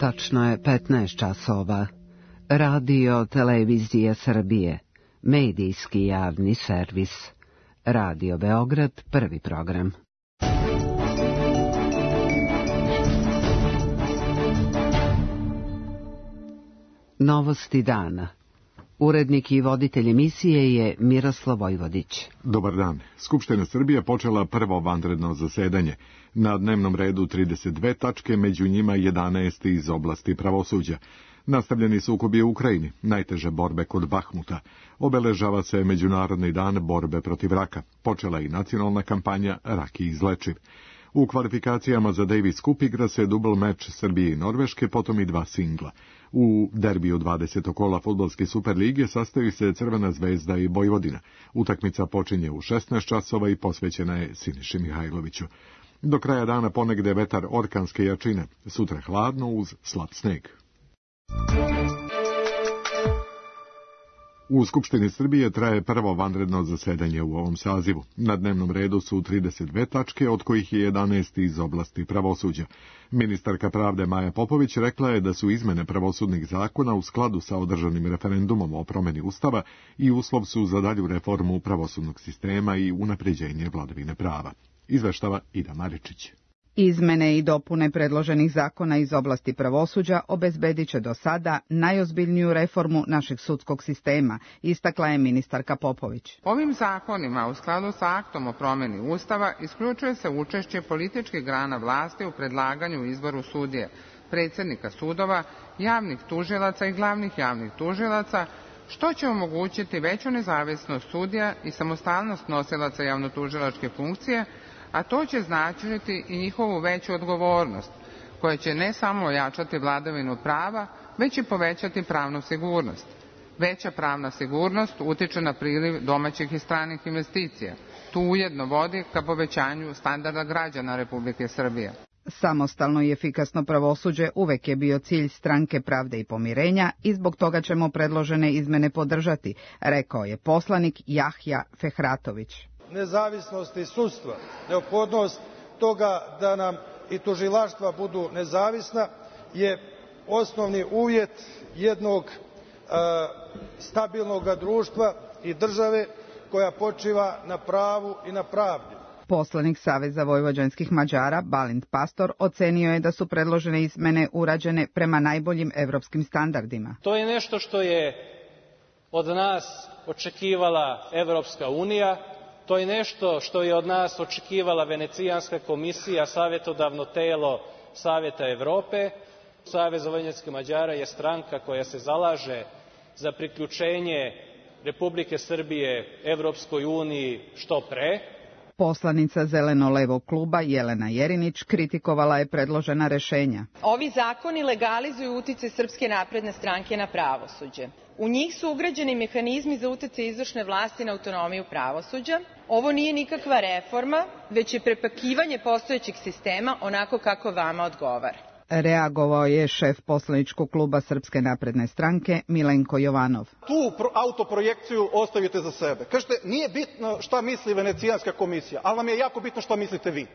Tačno je 15 časova. Radio Televizija Srbije, medijski javni servis. Radio Beograd, prvi program. Novosti dana. Urednik i voditelj emisije je Miroslav Vojvodić. Dobar dan. Skupština Srbije počela prvo vanredno zasedanje. Na dnevnom redu 32 tačke, među njima 11 iz oblasti pravosuđa. Nastavljeni sukobi u Ukrajini, najteže borbe kod Bahmuta. Obeležava se Međunarodni dan borbe protiv raka. Počela i nacionalna kampanja Rak je izlečiv. U kvalifikacijama za Davis Cup igra se dubl meč Srbije i Norveške, potom i dva singla. U derbiju 20. kola fudbalske Superlige sastaju se Crvena zvezda i Vojvodina. Utakmica počinje u 16 časova i posvećena je Siniši Mihajloviću. Do kraja dana ponegde vetar orkanske jačine, sutra hladno uz slab sneg. U Skupštini Srbije traje prvo vanredno zasedanje u ovom sazivu. Na dnevnom redu su 32 tačke, od kojih je 11 iz oblasti pravosuđa. Ministarka pravde Maja Popović rekla je da su izmene pravosudnih zakona u skladu sa održanim referendumom o promeni Ustava i uslov su za dalju reformu pravosudnog sistema i unapređenje vladavine prava. Izveštava Ida Maričić. Izmene i dopune predloženih zakona iz oblasti pravosuđa obezbedit će do sada najozbiljniju reformu našeg sudskog sistema, istakla je ministarka Popović. Ovim zakonima, u skladu sa aktom o promeni Ustava, isključuje se učešće političkih grana vlasti u predlaganju i izboru sudije, predsjednika sudova, javnih tužilaca i glavnih javnih tužilaca, što će omogućiti veću nezavisnost sudija i samostalnost nosilaca javnotužilačke funkcije, a to će značiti i njihovu veću odgovornost, koja će ne samo ojačati vladavinu prava, već i povećati pravnu sigurnost. Veća pravna sigurnost utiče na priliv domaćih i stranih investicija. Tu ujedno vodi ka povećanju standarda građana Republike Srbije. Samostalno i efikasno pravosuđe uvek je bio cilj Stranke pravde i pomirenja i zbog toga ćemo predložene izmene podržati, rekao je poslanik Jahja Fehratović. Nezavisnosti sudstva, neophodnost toga da nam i tužilaštva budu nezavisna je osnovni uvjet jednog stabilnog društva i države koja počiva na pravu i na pravdi. Poslanik Saveza vojvođanskih Mađara Balint Pastor ocenio je da su predložene izmene urađene prema najboljim evropskim standardima. To je nešto što je od nas očekivala Evropska unija. To je nešto što je od nas očekivala Venecijanska komisija, savjetodavno telo Savjeta Evrope. Savez vojvođanskih Mađara je stranka koja se zalaže za priključenje Republike Srbije Evropskoj uniji što pre. Poslanica Zeleno-levog kluba Jelena Jerinić kritikovala je predložena rešenja. Ovi zakoni legalizuju uticaj Srpske napredne stranke na pravosuđe. U njih su ugrađeni mehanizmi za uticaj izvršne vlasti na autonomiju pravosuđa. Ovo nije nikakva reforma, već je prepakivanje postojećeg sistema onako kako vama odgovara. Reagovao je šef poslaničkog kluba Srpske napredne stranke Milenko Jovanov. Tu autoprojekciju ostavite za sebe. Kažete, nije bitno šta misli Venecijanska komisija, ali vam je jako bitno šta mislite vi.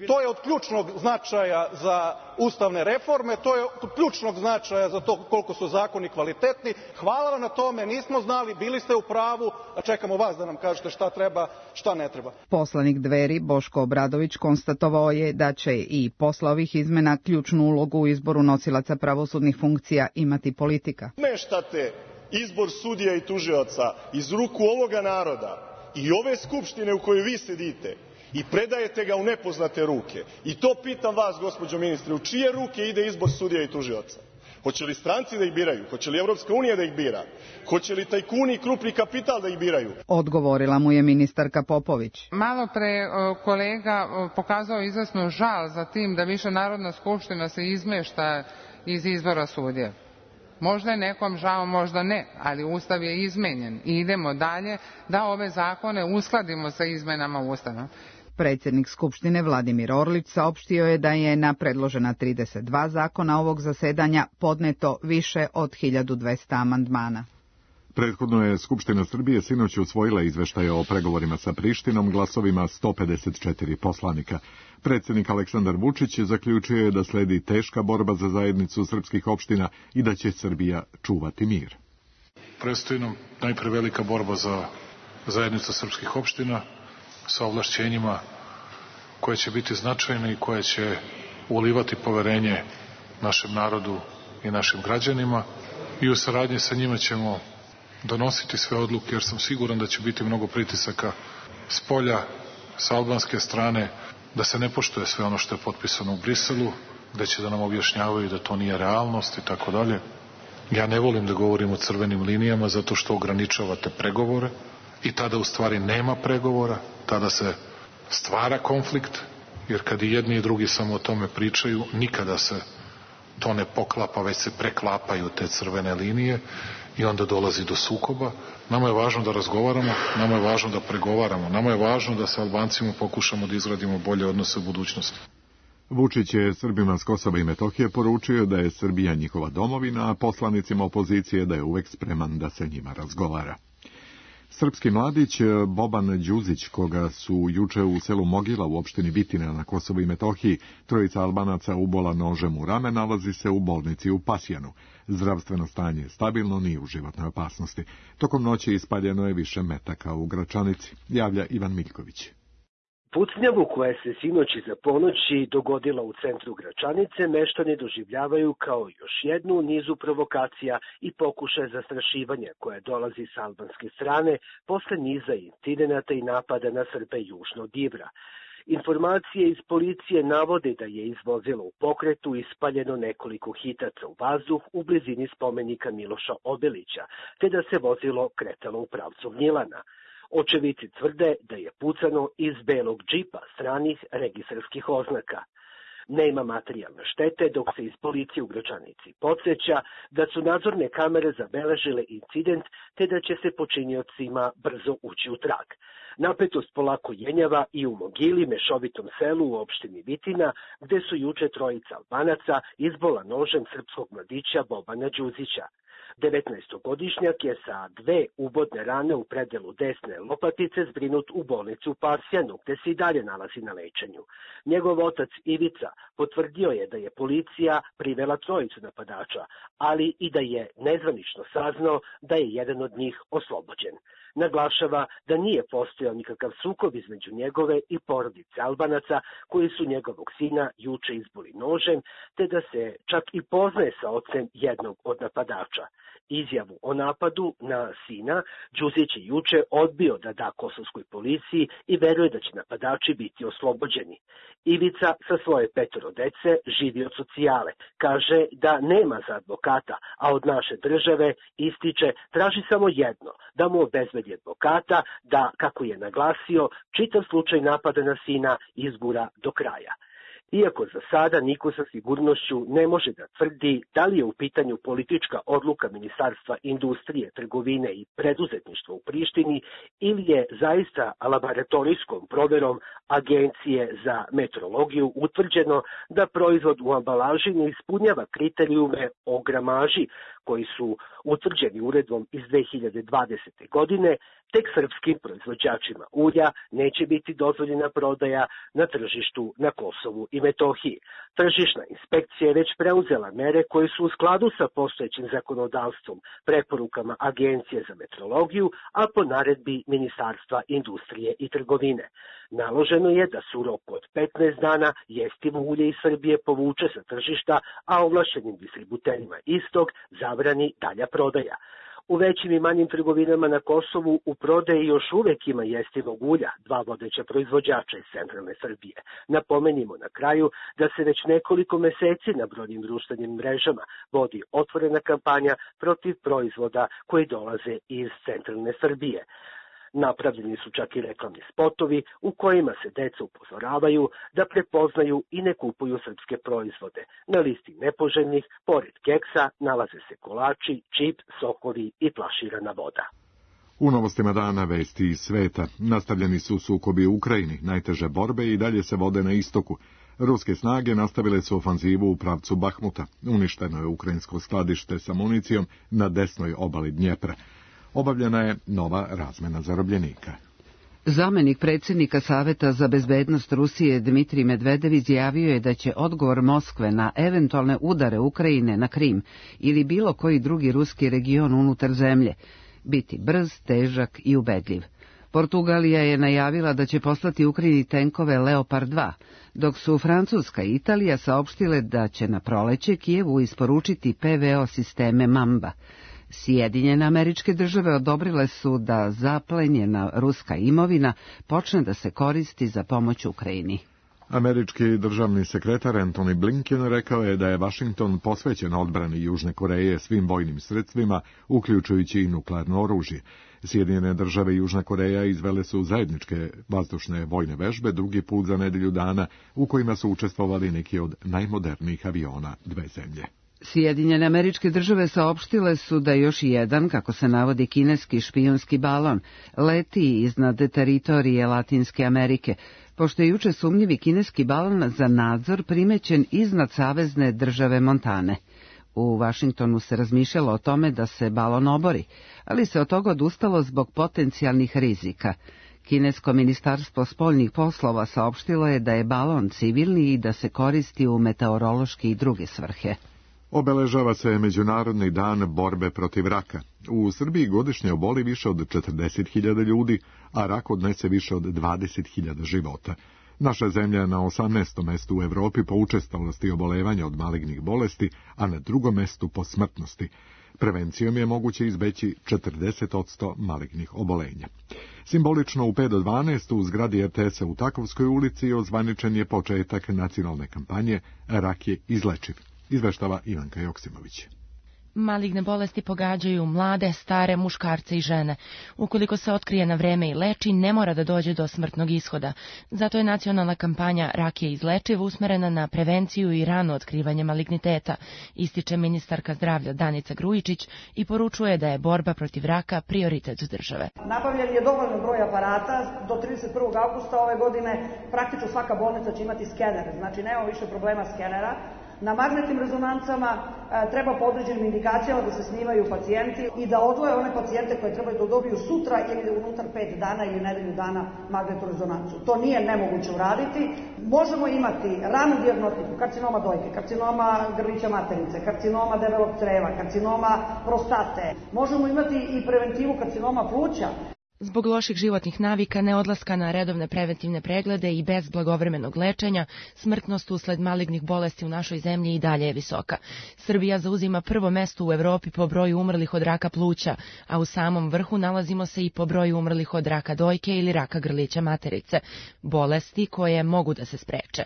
To je od ključnog značaja za ustavne reforme, to je od ključnog značaja za to koliko su zakoni kvalitetni. Hvala vam na tome, nismo znali, bili ste u pravu, a čekamo vas da nam kažete šta treba, šta ne treba. Poslanik Dveri Boško Obradović konstatovao je da će i posle ovih izmena ključnu ulogu u izboru nosilaca pravosudnih funkcija imati politika. Meštate izbor sudija i tužioca iz ruku ovoga naroda i ove skupštine u kojoj vi sedite i predajete ga u nepoznate ruke. I to pitam vas, gospođo ministre, u čije ruke ide izbor sudija i tužioca? Hoće li stranci da ih biraju? Hoće li Evropska unija da ih bira? Hoće li tajkuni i krupni kapital da ih biraju? Odgovorila mu je ministarka Popović. Malo pre kolega pokazao izvesnu žal za tim da više Narodna skupština se izmešta iz izbora sudija. Možda je nekom žao, možda ne, ali Ustav je izmenjen i idemo dalje da ove zakone uskladimo sa izmenama Ustava. Predsjednik Skupštine Vladimir Orlić saopštio je da je na predložena 32 zakona ovog zasedanja podneto više od 1200 amandmana. Prethodno je Skupština Srbije sinoć usvojila izveštaje o pregovorima sa Prištinom glasovima 154 poslanika. Predsjednik Aleksandar Vučić zaključio je da sledi teška borba za zajednicu srpskih opština i da će Srbija čuvati mir. Predstoji nam najpre velika borba za zajednicu srpskih opština sa ovlašćenjima koje će biti značajne i koje će ulivati poverenje našem narodu i našim građanima i u saradnji sa njima ćemo donositi sve odluke, jer sam siguran da će biti mnogo pritisaka s polja, sa albanske strane, da se ne poštuje sve ono što je potpisano u Briselu, da će da nam objašnjavaju da to nije realnost i tako dalje. Ja ne volim da govorim o crvenim linijama zato što ograničavate pregovore i tada u stvari nema pregovora, tada se stvara konflikt, jer kad i jedni i drugi samo o tome pričaju, nikada se to ne poklapa, već se preklapaju te crvene linije i onda dolazi do sukoba. Nama je važno da razgovaramo, nama je važno da pregovaramo, nama je važno da sa Albancima pokušamo da izgradimo bolje odnose u budućnosti. Vučić je Srbima s Kosova i Metohije poručio da je Srbija njihova domovina, a poslanicima opozicije da je uvek spreman da se njima razgovara. Srpski mladić Boban Đuzić, koga su juče u selu Mogila u opštini Vitina na Kosovu i Metohiji trojica Albanaca ubola nožem u rame, nalazi se u bolnici u Pasjanu. Zdravstveno stanje je stabilno, nije u životnoj opasnosti. Tokom noći ispaljeno je više metaka u Gračanici, javlja Ivan Miljković. Pucnjavu koja se sinoć iza ponoći dogodila u centru Gračanice meštani doživljavaju kao još jednu u nizu provokacija i pokušaja zastrašivanja koja dolazi s albanske strane posle niza incidenata i napada na Srbe južno od Ibra. Informacije iz policije navode da je iz vozila u pokretu ispaljeno nekoliko hitaca u vazduh u blizini spomenika Miloša Obilića, te da se vozilo kretalo u pravcu Gnjilana. Očevici tvrde da je pucano iz belog džipa stranih registarskih oznaka. Nema materijalne štete, dok se iz policije u Gračanici podsjeća da su nadzorne kamere zabeležile incident, te da će se počiniocima brzo ući u trag. Napetost polako jenjava i u Mogili, mešovitom selu u opštini Vitina, gde su juče trojica Albanaca izbola nožem srpskog mladića Bobana Đuzića. 19-godišnjak je sa 2 ubodne rane u predelu desne lopatice zbrinut u bolnicu u Pasjanu, gde se i dalje nalazi na lečenju. Njegov otac Ivica potvrdio je da je policija privela trojicu napadača, ali i da je nezvanično saznao da je jedan od njih oslobođen. Naglašava da nije postojao nikakav sukob između njegove i porodice Albanaca koji su njegovog sina juče izboli nožem, te da se čak i poznaje sa ocem jednog od napadača. Izjavu o napadu na sina Đuzić je juče odbio da da kosovskoj policiji i veruje da će napadači biti oslobođeni. Ivica sa svoje 5 dece živi od socijale. Kaže da nema za advokata, a od naše države, ističe, traži samo jedno, da mu obezbedi advokata, da, kako je naglasio, čitav slučaj napada na sina izgura do kraja. Iako za sada niko sa sigurnošću ne može da tvrdi da li je u pitanju politička odluka Ministarstva industrije, trgovine i preduzetništva u Prištini ili je zaista laboratorijskom proverom Agencije za meteorologiju utvrđeno da proizvod u ambalaži ne ispunjava kriterijume o gramaži koji su utvrđeni uredbom iz 2020. godine, tek srpskim proizvođačima ulja neće biti dozvoljena prodaja na tržištu na Kosovu i Metohiji. Tržišna inspekcija je već preuzela mere koje su u skladu sa postojećim zakonodavstvom, preporukama Agencije za meteorologiju, a po naredbi Ministarstva industrije i trgovine. Naloženo je da se u roku od 15 dana jestivo ulje iz Srbije povuče sa tržišta, a ovlašćenim distributerima istog zabrani dalja prodaja. U većim i manjim trgovinama na Kosovu u prodaji još uvek ima jestivog ulja, 2 vodeća proizvođača iz centralne Srbije. Napomenimo na kraju da se već nekoliko meseci na brojnim društvenim mrežama vodi otvorena kampanja protiv proizvoda koji dolaze iz centralne Srbije. Napravljeni su čak i reklamni spotovi u kojima se deca upozoravaju da prepoznaju i ne kupuju srpske proizvode. Na listi nepoželjnih, pored keksa, nalaze se kolači, čip, sokovi i flaširana voda. U novostima dana vesti iz sveta nastavljeni su sukobi u Ukrajini, najteže borbe i dalje se vode na istoku. Ruske snage nastavile su ofanzivu u pravcu Bahmuta. Uništeno je ukrajinsko skladište sa municijom na desnoj obali Dnjepra. Obavljena je nova razmena zarobljenika. Zamenik predsjednika Saveta za bezbednost Rusije Dmitrij Medvedev izjavio je da će odgovor Moskve na eventualne udare Ukrajine na Krim ili bilo koji drugi ruski region unutar zemlje biti brz, težak i ubedljiv. Portugalija je najavila da će poslati Ukrajini tenkove Leopard 2, dok su Francuska i Italija saopštile da će na proleće Kijevu isporučiti PVO sisteme Mamba. Sjedinjene Američke Države odobrile su da zaplenjena ruska imovina počne da se koristi za pomoć Ukrajini. Američki državni sekretar Antony Blinken rekao je da je Washington posvećen odbrani Južne Koreje svim vojnim sredstvima, uključujući i nuklearno oružje. Sjedinjene Države i Južna Koreja izvele su zajedničke vazdušne vojne vežbe drugi put za nedelju dana, u kojima su učestvovali neki od najmodernijih aviona dve zemlje. Sjedinjene Američke Države saopštile su da još jedan, kako se navodi, kineski špijunski balon leti iznad teritorije Latinske Amerike, pošto je juče sumnjivi kineski balon za nadzor primećen iznad savezne države Montane. U Vašingtonu se razmišljalo o tome da se balon obori, ali se od toga odustalo zbog potencijalnih rizika. Kinesko ministarstvo spoljnih poslova saopštilo je da je balon civilni i da se koristi u meteorološke i druge svrhe. Obeležava se Međunarodni dan borbe protiv raka. U Srbiji godišnje oboli više od 40.000 ljudi, a rak odnese više od 20.000 života. Naša zemlja je na 18. mestu u Evropi po učestalosti obolevanja od malignih bolesti, a na drugom mestu po smrtnosti. Prevencijom je moguće izbeći 40% malignih obolenja. Simbolično u 5 do 12 u zgradi RTS-a u Takovskoj ulici ozvaničen je početak nacionalne kampanje Rak je izlečiv. Izveštava Ivanka Joksimović. Maligne bolesti pogađaju mlade, stare, muškarce i žene. Ukoliko se otkrije na vreme i leči, ne mora da dođe do smrtnog ishoda. Zato je nacionalna kampanja Rak je izlečiv usmerena na prevenciju i rano otkrivanje maligniteta, ističe ministarka zdravlja Danica Grujičić i poručuje da je borba protiv raka prioritet države. Nabavljen je dovoljno broj aparata. Do 31. augusta ove godine praktično svaka bolnica će imati skener, znači nema više problema skenera. Na magnetnim rezonancama treba po određenim indikacijama da se snimaju pacijenti i da odvoje one pacijente koje trebaju da dobiju sutra ili unutar 5 dana ili nedelju dana magnetnu rezonancu. To nije nemoguće uraditi. Možemo imati ranu dijagnostiku karcinoma dojke, karcinoma grlića materice, karcinoma debelog creva, karcinoma prostate. Možemo imati i preventivu karcinoma pluća. Zbog loših životnih navika, neodlaska na redovne preventivne preglede i bez blagovremenog lečenja, smrtnost usled malignih bolesti u našoj zemlji i dalje je visoka. Srbija zauzima prvo mesto u Evropi po broju umrlih od raka pluća, a u samom vrhu nalazimo se i po broju umrlih od raka dojke ili raka grlića materice, bolesti koje mogu da se spreče.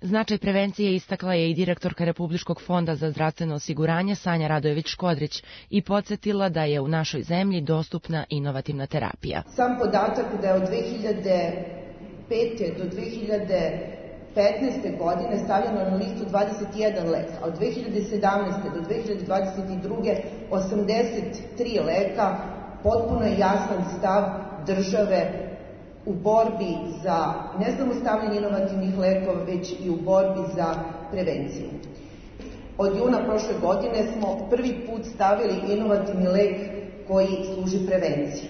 Značaj prevencije istakla je i direktorka Republičkog fonda za zdravstveno osiguranje Sanja Radojević-Škodrić i podsjetila da je u našoj zemlji dostupna inovativna terapija. Sam podatak da je od 2005. do 2015. godine stavljeno na listu 21 lek, a od 2017. do 2022. 83 leka, potpuno je jasan stav države u borbi za ne samo stavljanje inovativnih lekova, već i u borbi za prevenciju. Od juna prošle godine smo prvi put stavili inovativni lek koji služi prevenciji.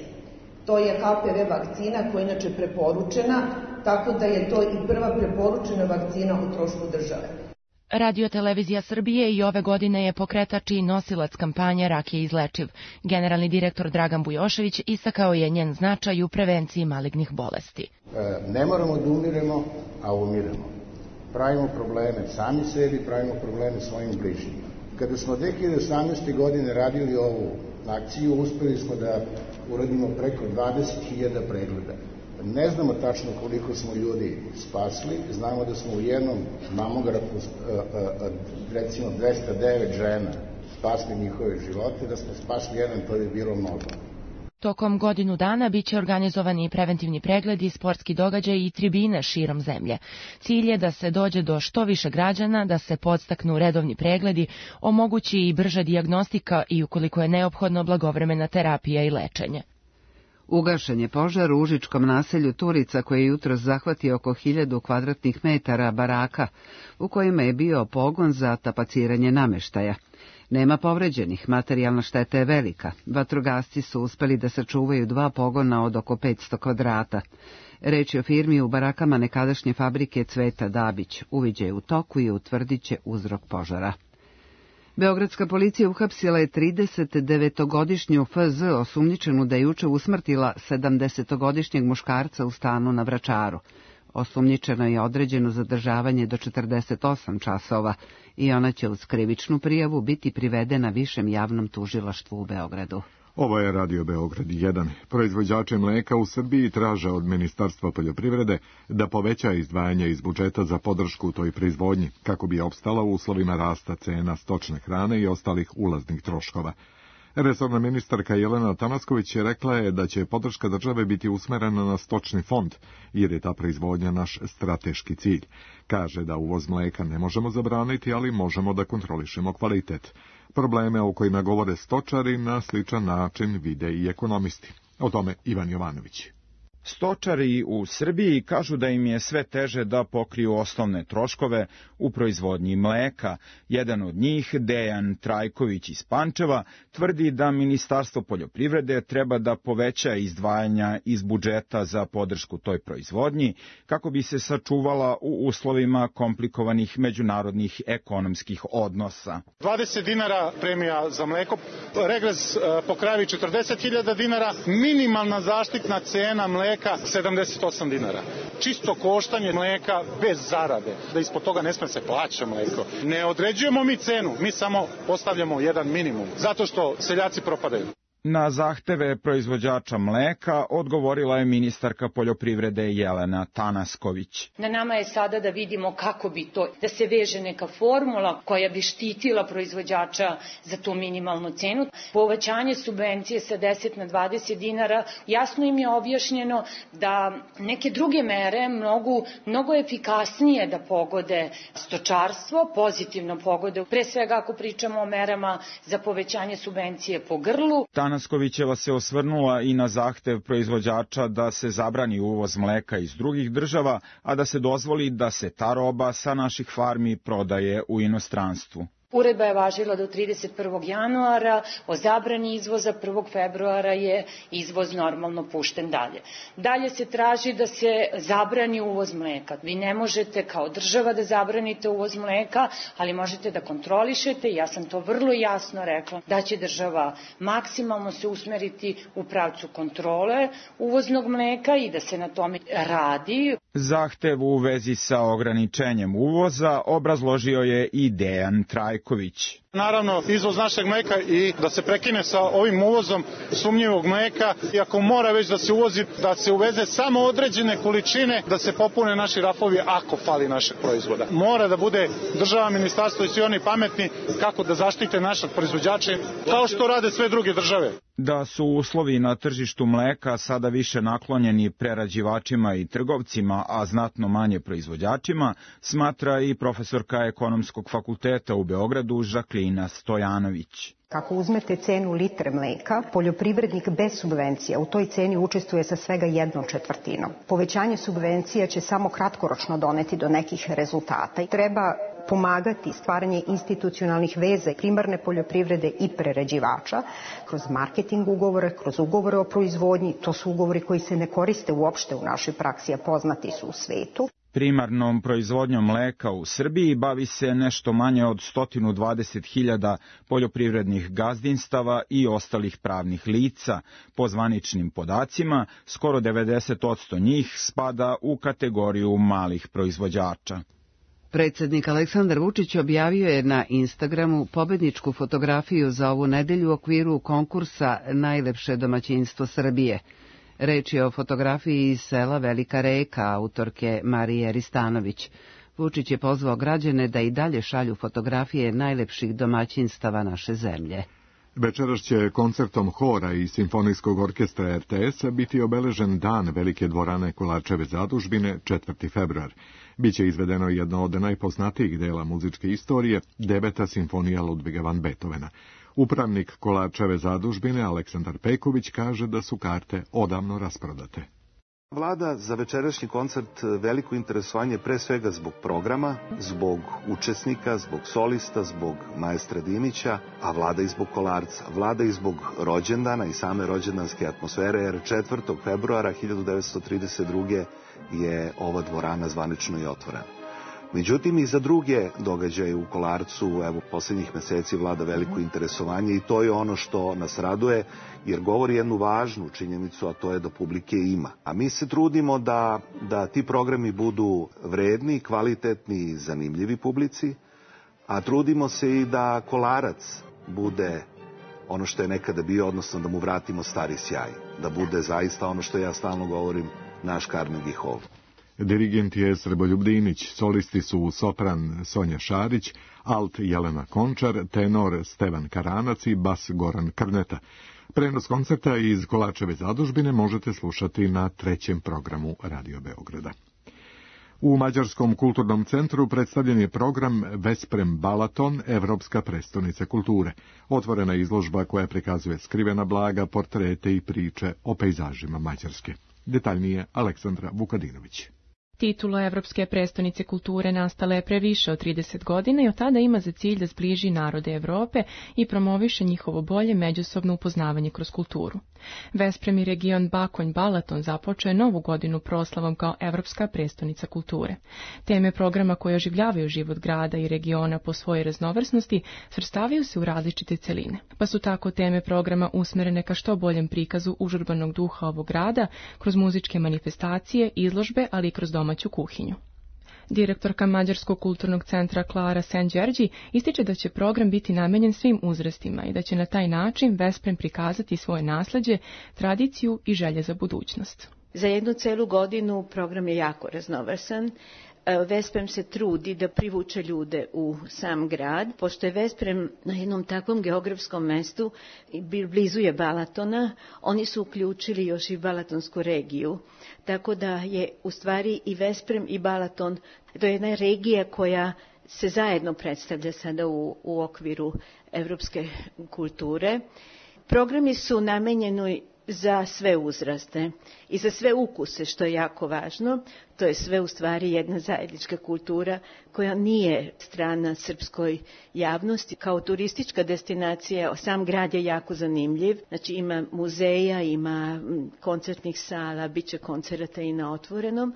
To je HPV vakcina koja je inače preporučena, tako da je to i prva preporučena vakcina u trošku države. Radio-televizija Srbije i ove godine je pokretač i nosilac kampanje Rak je izlečiv. Generalni direktor Dragan Bujošević istakao je njen značaj u prevenciji malignih bolesti. Ne moramo da umiremo, a umiremo. Pravimo probleme sami sebi, pravimo probleme svojim bližnjima. Kada smo 2018. godine radili ovu akciju, uspeli smo da uradimo preko 20.000 pregleda. Ne znamo tačno koliko smo ljudi spasli, znamo da smo u jednom mamografu, recimo 209 žena, spasli njihove živote, da smo spasli jedan, to je bilo mnogo. Tokom godinu dana biće organizovani i preventivni pregledi, sportski događaj i tribine širom zemlje. Cilj je da se dođe do što više građana, da se podstaknu redovni pregledi, omogući i brža dijagnostika i ukoliko je neophodno blagovremena terapija i lečenje. Ugašen je požar u užičkom naselju Turica koji je jutros zahvatio oko 1000 kvadratnih metara baraka, u kojima je bio pogon za tapaciranje nameštaja. Nema povređenih, materijalna šteta je velika. Vatrogasci su uspeli da sačuvaju 2 pogona od oko 500 kvadrata. Reč je o firmi u barakama nekadašnje fabrike Cveta Dabić. Uviđaj u toku i utvrdit će uzrok požara. Beogradska policija uhapsila je 39-godišnju FZ osumnjičenu da je juče usmrtila 70-godišnjeg muškarca u stanu na Vračaru. Osumnjičeno je određeno zadržavanje do 48 časova i ona će uz krivičnu prijavu biti privedena Višem javnom tužilaštvu u Beogradu. Ovo je Radio Beograd 1. Proizvođači mleka u Srbiji traže od Ministarstva poljoprivrede da poveća izdvajanje iz budžeta za podršku toj proizvodnji, kako bi opstala u uslovima rasta cena stočne hrane i ostalih ulaznih troškova. Resorna ministarka Jelena Tanasković rekla je da će podrška države biti usmerena na stočni fond, jer je ta proizvodnja naš strateški cilj. Kaže da uvoz mleka ne možemo zabraniti, ali možemo da kontrolišemo kvalitet. Probleme o kojima govore stočari na sličan način vide i ekonomisti. O tome Ivan Jovanović. Stočari u Srbiji kažu da im je sve teže da pokriju osnovne troškove u proizvodnji mleka. Jedan od njih, Dejan Trajković iz Pančeva, tvrdi da Ministarstvo poljoprivrede treba da poveća izdvajanja iz budžeta za podršku toj proizvodnji, kako bi se sačuvala u uslovima komplikovanih međunarodnih ekonomskih odnosa. 20 dinara premija za mleko, regres po kravi 40.000 dinara, minimalna zaštitna cena mleka 78 dinara. Čisto koštanje mleka bez zarade, da ispod toga ne sme se plaća mleko. Ne određujemo mi cenu, mi samo postavljamo jedan minimum, zato što seljaci propadaju. Na zahteve proizvođača mleka odgovorila je ministarka poljoprivrede Jelena Tanasković. Na nama je sada da vidimo kako bi to, da se veže neka formula koja bi štitila proizvođača za tu minimalnu cenu. Povećanje subvencije sa 10 na 20 dinara, jasno im je objašnjeno da neke druge mere mnogo efikasnije da pogode stočarstvo, pozitivno pogode, pre svega ako pričamo o merama za povećanje subvencije po grlu. Tanaskovićeva se osvrnula i na zahtev proizvođača da se zabrani uvoz mleka iz drugih država, a da se dozvoli da se ta roba sa naših farmi prodaje u inostranstvu. Uredba je važila do 31. januara, o zabrani izvoza 1. februara je izvoz normalno pušten dalje. Dalje se traži da se zabrani uvoz mleka. Vi ne možete kao država da zabranite uvoz mleka, ali možete da kontrolišete, ja sam to vrlo jasno rekla, da će država maksimalno se usmeriti u pravcu kontrole uvoznog mleka i da se na tome radi. Zahtev u vezi sa ograničenjem uvoza obrazložio je i Dejan Trajković. Naravno, izvoz našeg mleka i da se prekine sa ovim uvozom sumnjivog mleka. I ako mora već da se uvozi, da se uveze samo određene količine, da se popune naši rafovi ako fali našeg proizvoda. Mora da bude država, ministarstvo i svi oni pametni kako da zaštite našeg proizvođača, kao što rade sve druge države. Da su uslovi na tržištu mleka sada više naklonjeni prerađivačima i trgovcima, a znatno manje proizvođačima, smatra i profesorka Ekonomskog fakulteta u Beogradu Žaklina Stojanović. Kako uzmete cenu litre mleka, poljoprivrednik bez subvencija u toj ceni učestvuje sa svega 1/4. Povećanje subvencija će samo kratkoročno doneti do nekih rezultata i treba pomagati stvaranje institucionalnih veza primarne poljoprivrede i prerađivača kroz marketing ugovore, kroz ugovore o proizvodnji. To su ugovori koji se ne koriste uopšte u našoj praksi, a poznati su u svetu. Primarnom proizvodnjom mleka u Srbiji bavi se nešto manje od 120.000 poljoprivrednih gazdinstava i ostalih pravnih lica. Po zvaničnim podacima, skoro 90% njih spada u kategoriju malih proizvođača. Predsjednik Aleksandar Vučić objavio je na Instagramu pobedničku fotografiju za ovu nedelju u okviru konkursa Najlepše domaćinstvo Srbije. Reč je o fotografiji iz sela Velika Reka, autorke Marije Ristanović. Vučić je pozvao građane da i dalje šalju fotografije najlepših domaćinstava naše zemlje. Večeras će koncertom hora i simfonijskog orkestra RTS biti obeležen dan Velike dvorane Kolarčeve zadužbine 4. februar. Biće izvedeno jedno od najpoznatijih dela muzičke istorije, 9. simfonija Ludviga van Beethovena. Upravnik Kolarčeve zadužbine Aleksandar Peković kaže da su karte odavno rasprodate. Vlada za večerašnji koncert veliko interesovanje pre svega zbog programa, zbog učesnika, zbog solista, zbog maestra Dimića, a vlada i zbog Kolarca. Vlada i zbog rođendana i same rođendanske atmosfere, jer 4. februara 1932. je ova dvorana zvanično i otvorena. Međutim, i za druge događaje u Kolarcu, evo, posljednjih meseci vlada veliko interesovanje i to je ono što nas raduje, jer govori jednu važnu činjenicu, a to je da publike ima. A mi se trudimo da ti programi budu vredni, kvalitetni i zanimljivi publici, a trudimo se i da Kolarac bude ono što je nekada bio, odnosno da mu vratimo stari sjaj, da bude zaista ono što ja stalno govorim, naš Carnegie Hall. Dirigent je Srboljub Dinić, solisti su sopran Sonja Šarić, alt Jelena Končar, tenor Stevan Karanac i bas Goran Krneta. Prenos koncerta iz Kolačeve zadužbine možete slušati na 3. programu Radio Beograda. U Mađarskom kulturnom centru predstavljen je program Vesprem Balaton, Evropska prestonica kulture. Otvorena izložba koja prikazuje skrivena blaga, portrete i priče o pejzažima Mađarske. Detaljnije Aleksandra Vukadinović. Titula Evropske prestonice kulture nastala je pre više od 30 godina i od tada ima za cilj da zbliži narode Evrope i promoviše njihovo bolje međusobno upoznavanje kroz kulturu. Vesprem i region Bakonj-Balaton započeo je novu godinu proslavom kao Evropska prestonica kulture. Teme programa koje oživljavaju život grada i regiona po svojoj raznovrsnosti svrstavaju se u različite celine, pa su tako teme programa usmerene ka što boljem prikazu užurbanog duha ovog grada kroz muzičke manifestacije, izložbe, ali i kroz domaću kuhinju. Direktorka Mađarskog kulturnog centra Klara Senđerđi ističe da će program biti namenjen svim uzrastima i da će na taj način Vesprem prikazati svoje nasleđe, tradiciju i želje za budućnost. Za jednu celu godinu program je jako raznovrsan. Vesprem se trudi da privuče ljude u sam grad, pošto je Vesprem na jednom takvom geografskom mestu, blizu je Balatona, oni su uključili još i Balatonsku regiju, tako da je u stvari i Vesprem i Balaton, to je jedna regija koja se zajedno predstavlja sada u okviru evropske kulture. Programi su namenjeni za sve uzraste i za sve ukuse, što je jako važno. To je sve u stvari jedna zajednička kultura koja nije strana srpskoj javnosti. Kao turistička destinacija sam grad je jako zanimljiv. Znači ima muzeja, ima koncertnih sala, bit će koncerata i na otvorenom.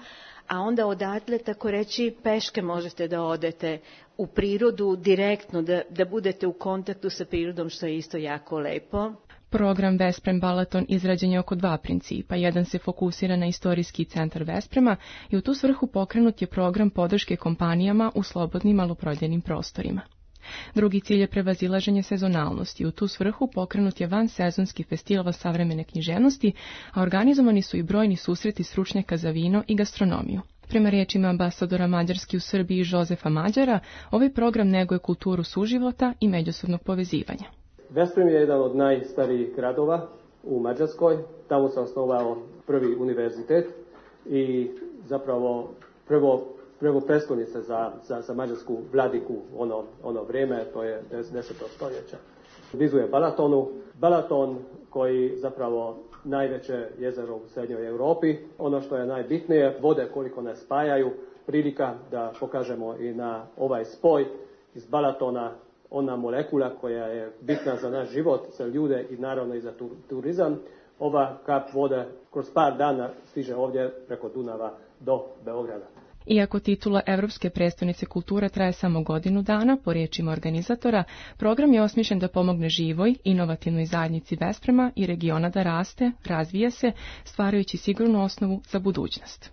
A onda odatle, tako reći, peške možete da odete u prirodu direktno, da budete u kontaktu sa prirodom, što je isto jako lepo. Program Vesprem Balaton izrađen je oko 2 principa. Jedan se fokusira na istorijski centar Vesprema i u tu svrhu pokrenut je program podrške kompanijama u slobodnim maloprodajnim prostorima. Drugi cilj je prevazilaženje sezonalnosti. U tu svrhu pokrenut je vansezonski festival savremene književnosti, a organizovani su i brojni susreti stručnjaka za vino i gastronomiju. Prema riječima ambasadora Mađarske u Srbiji Jozefa Mađara, ovaj program neguje kulturu suživota i međusobnog povezivanja. Vesprem je jedan od najstarijih gradova u Mađarskoj. Tamo se osnovao prvi univerzitet i zapravo prvo prestolnica za mađarsku vladiku ono vrijeme, to je 10. stoljeća. Blizu je Balatonu. Balaton koji zapravo najveće jezero u srednjoj Europi. Ono što je najbitnije, vode koliko nas spajaju, prilika da pokažemo i na ovaj spoj iz Balatona, ona molekula koja je bitna za naš život, za ljude i naravno i za turizam. Ova kap vode kroz par dana stiže ovdje preko Dunava do Beograda. Iako titula Evropske prestonice kulture traje samo godinu dana, po riječima organizatora, program je osmišljen da pomogne živoj, inovativnoj zajednici Vesprema i regiona da raste, razvija se, stvarajući sigurnu osnovu za budućnost.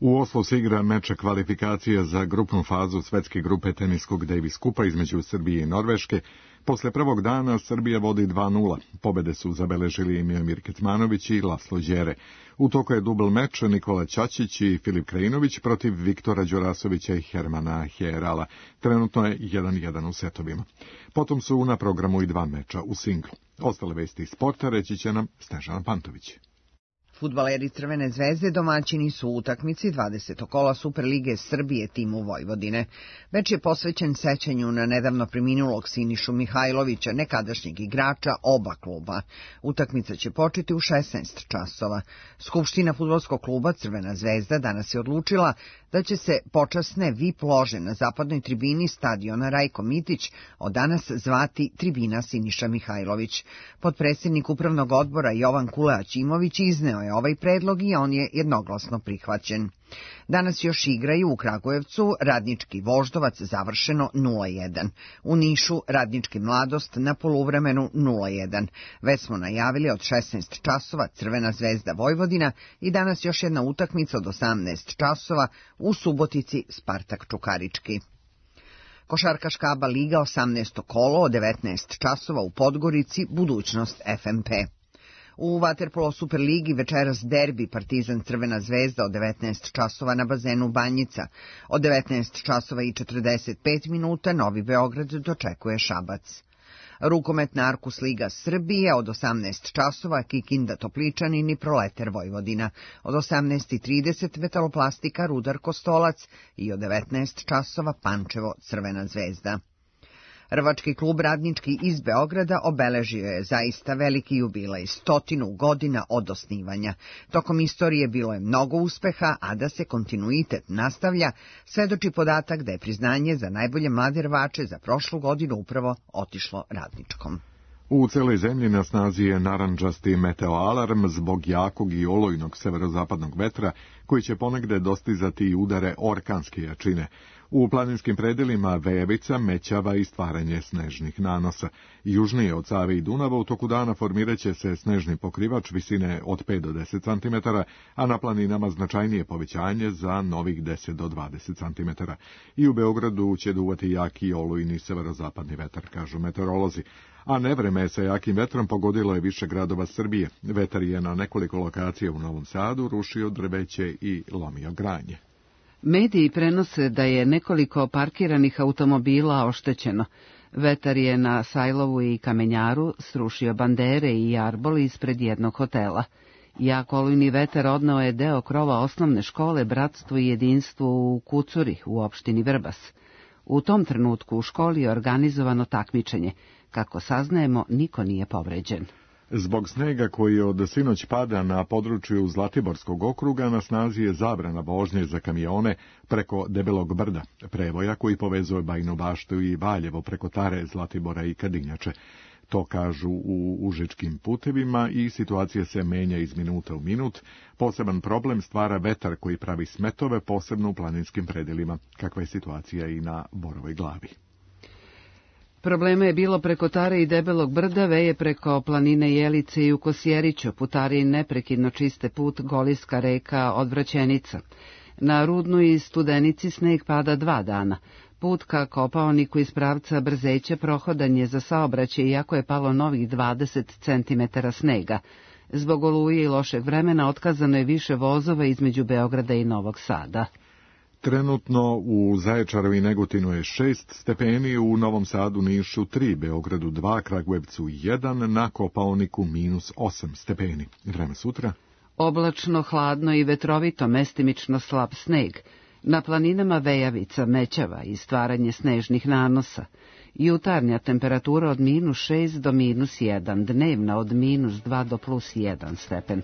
U Oslu se igra meč kvalifikacija za grupnu fazu svetske grupe teniskog Davis Kupa između Srbije i Norveške. Posle prvog dana Srbija vodi 2:0. Pobede su zabeležili Miomir Kecmanović i Laslo Đere. U toku je dubl meč Nikola Ćačić i Filip Krajinović protiv Viktora Đurasovića i Hermana Herala. Trenutno je 1:1 u setovima. Potom su na programu i 2 meča u singlu. Ostale vesti iz sporta reći će nam Snežana Pantović. Fudbaleri Crvene zvezde domaćini su u utakmici 20. kola Superlige Srbije timu Vojvodine. Meč je posvećen sećanju na nedavno preminulog Sinišu Mihajlovića, nekadašnjeg igrača oba kluba. Utakmica će početi u 16 časova. Skupština fudbalskog kluba Crvena zvezda danas je odlučila da će se počasne VIP lože na zapadnoj tribini stadiona Rajko Mitić od danas zvati tribina Siniša Mihajlović. Potpredsjednik upravnog odbora Jovan Kule-Aćimović izneo je ovaj predlog i on je jednoglasno prihvaćen. Danas još igraju u Kragujevcu Radnički Voždovac završeno 0:1. U Nišu Radnički Mladost na poluvremenu 0:1. Već smo najavili od 16 časova Crvena zvezda Vojvodina i danas još jedna utakmica od 18 časova u Subotici Spartak Čukarički. Košarkaška ABA liga 18. kolo od 19 časova u Podgorici budućnost FMP. U vaterpolo Superligi večeras derbi Partizan Crvena zvezda od 19 časova na bazenu Banjica. Od 19 časova i 45 minuta Novi Beograd dočekuje Šabac. Rukometna Arkus Liga Srbije od 18 časova Kikinda Topličanin i Proleter Vojvodina. Od 18:30 Metaloplastika Rudar Kostolac i od 19 časova Pančevo Crvena zvezda. Rvački klub Radnički iz Beograda obeležio je zaista veliki jubilej, 100 godina od osnivanja. Tokom istorije bilo je mnogo uspeha, a da se kontinuitet nastavlja, svedoči podatak da je priznanje za najbolje mlade rvače za prošlu godinu upravo otišlo Radničkom. U celoj zemlji na snazi je narandžasti meteoalarm zbog jakog i olujnog severozapadnog vetra, koji će ponegde dostizati i udare orkanske jačine. U planinskim predelima vejevica, mećava i stvaranje snežnih nanosa. Južnije od Save i Dunava u toku dana formiraće se snežni pokrivač visine od 5 do 10 cm, a na planinama značajnije povećanje za novih 10 do 20 cm. I u Beogradu će duvati jaki olujni severozapadni vetar, kažu meteorolozi. A nevreme sa jakim vetrom pogodilo je više gradova Srbije. Vetar je na nekoliko lokacija u Novom Sadu rušio drveće i lomio granje. Mediji prenose da je nekoliko parkiranih automobila oštećeno. Vetar je na Sajlovu i Kamenjaru srušio bandere i jarbol ispred jednog hotela. Jak olujni vetar odneo je deo krova osnovne škole Bratstvo i jedinstvo u Kucuri u opštini Vrbas. U tom trenutku u školi je organizovano takmičenje. Kako saznajemo, niko nije povređen. Zbog snega koji od sinoć pada na području Zlatiborskog okruga na snazi je zabrana vožnje za kamione preko Debelog brda, prevoja koji povezuje Bajinu Baštu i Valjevo preko Tare, Zlatibora i Kadinjače. To kažu u užičkim putevima i situacija se menja iz minuta u minut. Poseban problem stvara vetar koji pravi smetove, posebno u planinskim predelima, kakva je situacija i na Borovoj glavi. Problema je bilo preko Tare i Debelog brda, veje preko planine Jelice i u Kosjeriću, putari neprekidno čiste put Goliska reka Odvraćenica. Na Rudnu i Studenici sneg pada 2 dana. Put ka Kopaoniku iz pravca Brzeće prohodan je za saobraćaj, iako je palo novih 20 cm snega. Zbog oluje i lošeg vremena otkazano je više vozova između Beograda i Novog Sada. Trenutno u Zaječaru i Negotinu je 6 stepeni, u Novom Sadu, Nišu 3, Beogradu 2, Kragujevcu 1, na Kopaoniku -8 stepeni. Vreme sutra? Oblačno, hladno i vetrovito, mestimično slab sneg. Na planinama vejavica, mećava i stvaranje snežnih nanosa. Jutarnja temperatura od -6 do -1, dnevna od -2 do +1 stepen.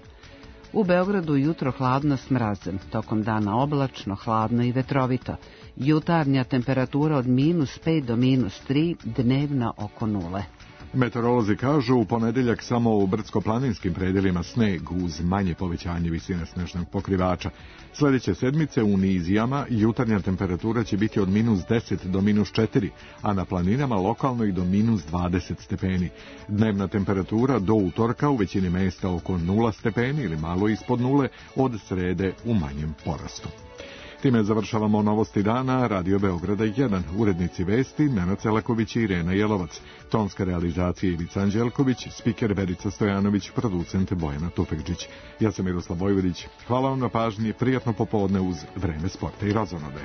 U Beogradu jutro hladno s mrazem, tokom dana oblačno, hladno i vetrovito. Jutarnja temperatura od -5 do -3, dnevna oko 0. Meteorolozi kažu u ponedeljak samo u brdsko-planinskim predelima sneg uz manje povećanje visine snežnog pokrivača. Sljedeće sedmice u nizijama jutarnja temperatura će biti od -10 do -4, a na planinama lokalno i do -20 stepeni. Dnevna temperatura do utorka u većini mesta oko 0 stepeni ili malo ispod 0, od srede u manjem porastu. Time završavamo novosti dana Radio Beograda 1. Urednici vesti Nenad Celaković i Irena Jelovac. Tonska realizacija Ivica Anđelković, spiker Verica Stojanović, producent Bojana Tufekđić. Ja sam Miroslav Vojvodić. Hvala vam na pažnji, prijatno popodne uz Vreme sporta i razonode.